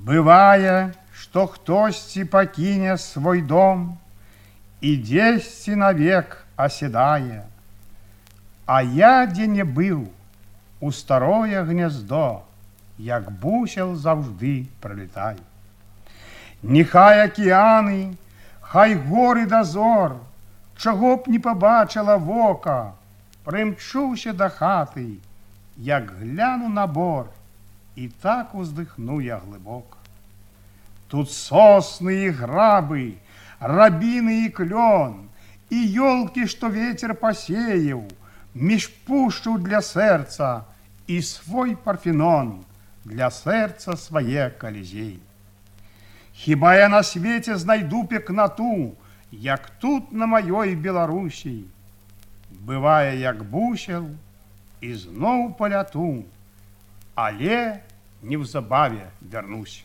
Бывае, што хтосьці пакіне свой дом і дзесьці навек аседае. А я дзе не быў, у старое гняздо, як бусел заўжды прылетаю. Нехай акіяны, хай горы дазор, чаго б не пабачыла вока, прымчуся да хаты, як гляну на бор, і так уздыхну я глыбока. Тут сосны і грабы, рабіны і клён, і ёлкі, што вецер пасеяў, між пушчу для сэрца і свой парфенон для сэрца свае калізей. Хіба я на свеце знайду пекнату, як тут на маёй Беларусі. Бывае, як бусел, і зноў паляту, але неўзабаве вярнусь.